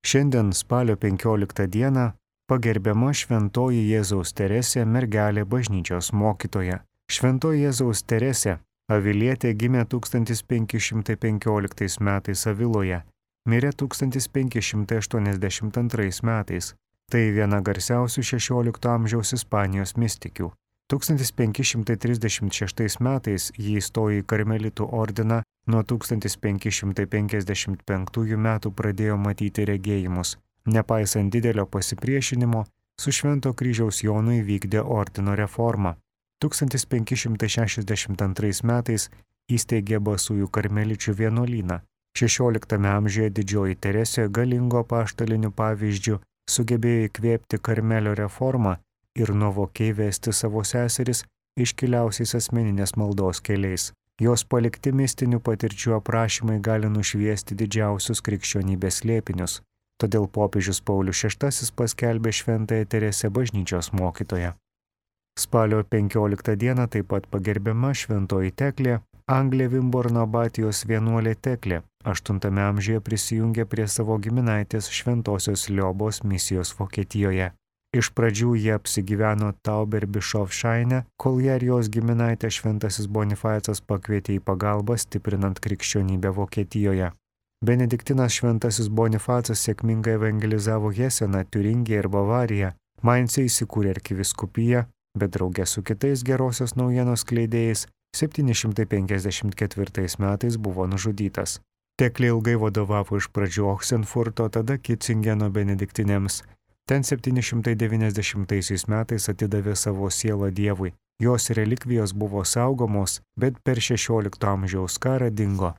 Šiandien spalio 15 dieną pagerbiama Šventoji Jėzaus Teresė mergelė bažnyčios mokytoja. Šventoji Jėzaus Teresė, avilietė, gimė 1515 metais Aviloje, mirė 1582 metais. Tai viena garsiausių XVI amžiaus Ispanijos mistikių. 1536 metais ji įstojo į karmelitų ordiną, nuo 1555 metų pradėjo matyti regėjimus. Nepaisant didelio pasipriešinimo, su Švento kryžiaus Jonu įvykdė ordino reformą. 1562 metais įsteigė Basųjų karmeličių vienuolyną. XVI amžiuje didžioji Teresė galingo apaštaliniu pavyzdžiu sugebėjo įkvėpti Karmelio reformą ir nuovokiai vesti savo seseris iškiliausiais asmeninės maldos keliais. Jos palikti mistinių patirčių aprašymai gali nušviesti didžiausius krikščionybės slėpinius. Todėl popiežius Paulius VI paskelbė Šventąją Teresę bažnyčios mokytoją. Spalio 15 dieną taip pat pagerbiama Šventoji Teklė, Anglė Vimborno abatijos vienuolė Teklė. 8 amžiuje prisijungė prie savo giminaitės Šventosios Liobos misijos Vokietijoje. Iš pradžių jie apsigyveno Tauberbischofshaine, kol ją ir jos giminaitė Šventasis Bonifacas pakvietė į pagalbą stiprinant krikščionybę Vokietijoje. Benediktinas Šventasis Bonifacas sėkmingai evangelizavo Heseną, Tiuringiją ir Bavariją. Maince įsikūrė arkivyskupija, bet draugė su kitais gerosios naujienos skleidėjais 754 metais buvo nužudytas. Teklė ilgai vadovavo iš pradžių Ochsenfurto, tada Kitzingeno benediktinėms. Ten 790 metais atidavė savo sielą Dievui. Jos relikvijos buvo saugomos, bet per XVI amžiaus karą dingo.